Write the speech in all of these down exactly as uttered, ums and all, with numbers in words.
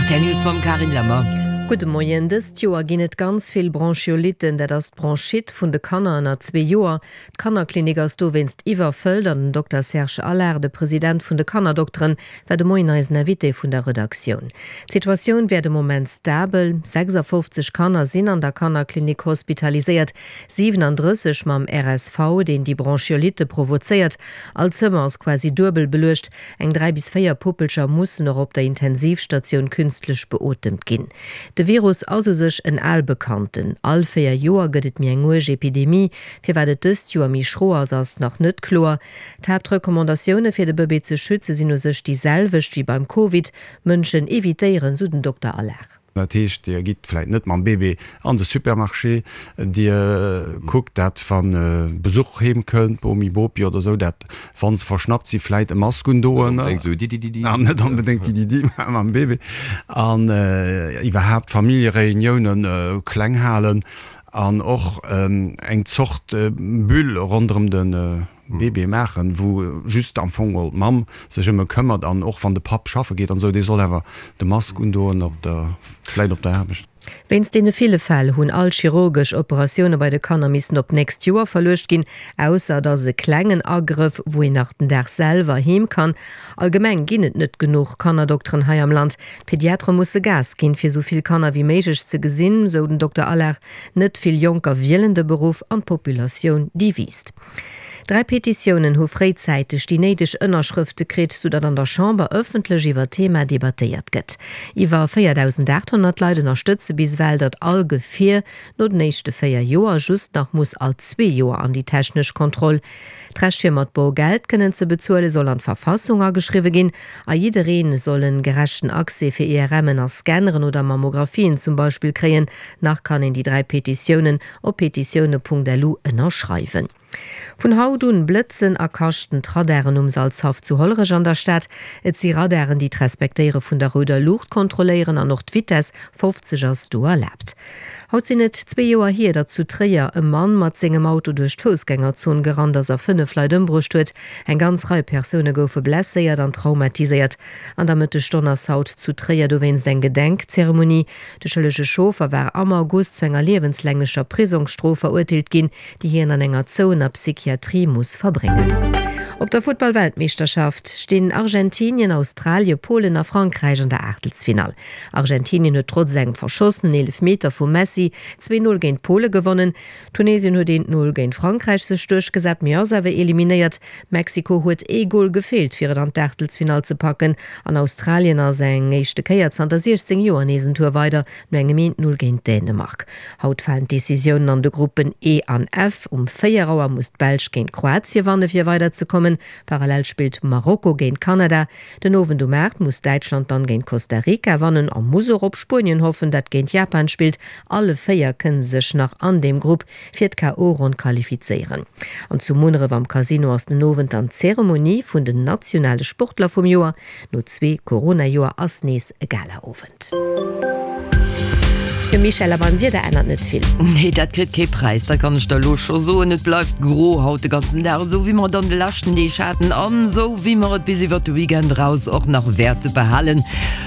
R T L News mam Carine Lemmer. Gudde Moien. Dëst Joer ginn et ganz vill Bronchiolitten, dat ass d'Bronchite vun de Kanner ënner zwee Joer. D'Kannerklinik ass dowéinst iwwerfëllt an den Dokter Serge Allard, de President vun de Kannerdokteren, war de Moien eisen Invité vun der Redaktioun. D'Situatioun wär de Moment stabel, sechsafofzeg Kanner sinn an der Kannerklinik hospitaliséiert, siwenandrësseg mam R S V, deen déi Bronchiolitte provozéiert. All Zëmmer ass quasi duebel beluecht. Eng dräi bis véier Puppelcher mussen och op der Intensivstatioun künstlech beotemt ginn. De Virus ass u sech en al Bekannten. All véier Joer gëtt et méi eng uerg Epidemie. Firwat et dëst Joer méi schro ass, ass nach net kloer. D'Haaptrecommandatioune fir de Bëbee ze schütze sinn u sech déi selwecht wéi beim Covid, Mënschen evitéieren, sou den Dokter Allard. Dat heescht, Dir gitt vläit net mam Bébé an de Supermarché, Dir kuckt dat wann Besuch heem kënnt, Bomi, Bopi oder esou, dat wann se verschnappt si vläit e Mask undoen, an net onbedéngt Dididi mam Bébé, an iwwerhaapt Familljereuniounen kleng halen an och eng Zort Bulle ronderëm de Bébé maachen, wou just am Fong geholl d'Mamm sech ëm e këmmert an och wann de Papp schaffe geet an esou, dee soll awer de Mask undoen op der, vläit op der Aarbecht. Wéinst deene ville Fäll hunn all chirurgesch Operatioune bei de Kanner missen op d'nächst Joer verluecht ginn, ausser et ass e klengen Agrëff, wou een nach den Dag selwer heem kann. Allgemeng ginn et net genuch Kannerdokteren hei am Land. D'Pediatere musse Gas ginn, fir esou vill Kanner wéi méiglech ze gesinn, sou den Dokter Allard. Net vill Jonker wielen de Beruff an d'Populatioun déi wiisst. Dräi Petitiounen hu fréizäiteg déi néideg Ënnerschrëfte kritt, soudatt an der Chamber ëffentlech iwwer d'Thema debattéiert gëtt. Iwwer véierdausendaathonnert Leit ënnerstëtze bis ewell, datt all Gefier no den éischte véier Joer just nach muss all zwee Joer an déi technesch Kontroll. D'Recht fir mat Borgeld kënnen ze bezuele soll an d'Verfassung ageschriwwe ginn a jidderee soll en gerechten Accès fir I R M'en a Scanneren oder Mammographien zum Beispill kréien. Nach kann een déi dräi Petitiounen op petitioune Punkt lu ënnerschreiwen. Vun haut un blëtzen a kaschten d'Radaren um Salzhaff zu Hollerech an der Stad. Et si Radaren, déi d'Respektéiere vun der rouder Luucht kontrolléieren an och d'Vitess, fofzeg ass do erlaabt. Haut sinn et zwee Joer hier, datt zu Tréier e Mann mat sengem Auto duerch d'Foussgängerzon gerannt ass a fënnef Leit ëmbruecht huet. Eng ganz Rei Persoune goufe blesséiert an traumatiséiert. An der Mëttesstonn ass haut zu Tréier dowéinst eng Gedenkzeremonie. De schëllege Chauffer war am August zu enger liewenslänglecher Prisongsstrof verurteelt ginn, déi hien an enger zouener Psychiatrie muss verbréngen. Op der Futtball-Weltmeeschterschaft stinn Argentinien, Australie, Polen a Frankräich an der Aachtelsfinall. Argentinien huet trotz engem verschossenen Eelefmeter vum Messi zwee Null géint Pole gewonnen. Tunesien huet eent Null géint Frankräich sech duerchgesat, mee ass awer eliminéiert. Mexiko huet ee Gol gefeelt, fir et an d'Aachtelsfinall ze packen an Australien ass eng éischte Kéier zanter siechzéng Joer nees en Tour weider no engem eent Null géint Dänemark. Haut falen d'Decisiounen an de Gruppen E an F. Um véier Auer muss d'Belsch géint Kroatie wanne fir weider ze kommen. Parallel spillt Marokko géint Kanada. Den Owend um aacht muss Däitschland dann géint Costa Rica wannen a muss och op Spuenien hoffen, dat géint Japan spillt. Alle véier kënne sech nach an deem Grupp fir d'K O. Ronn qualifizéieren. An zu Munneref am Casino ass den Owend dann d'Zeremonie vun den nationale Sportler vum Joer. No zwee Corona-Joer ass nees e Gala-Owend. Jo Michèle, a beim Wieder ännert net vill. Nee, dat kritt kee Präis, dat kann ech der elo scho soen. Et bleift gro haut de ganzen Dag, esou wéi mer et an de leschten Deeg haten an esou wéi mer et bis iwwert de Weekend eraus och nach wäerte behalen.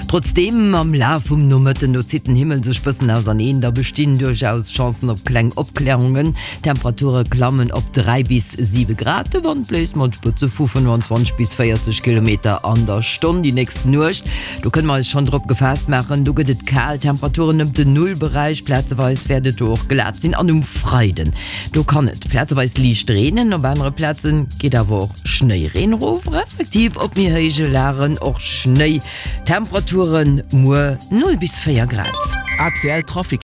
Trotzdeem, am Laf vum Nomëtten, do zitt den Himmel sech bëssen auserneen, da bestinn duerchaus Chancen op kleng Opklärungen. D'Temperature klammen op dräi bis siwe Grad, de Wand bléist mat Spëtze vu fënnwanzwanzeg bis véierzeg Kilometer an der Stonn. Déi nächst Nuecht, do kënne mer eis schonn drop gefaasst maachen, do gëtt et kal, Temperaturen ëm den Nullberäich, plazeweis wäert et do och glat sinn. An um Freiden, do kann et plazeweis liicht reenen, op anere Plaze geet awer och Schnéireen erof, respektiv op méi héije Lagen och Schnéi. Temperaturen muer null bis véier Grad. A C L Trafic.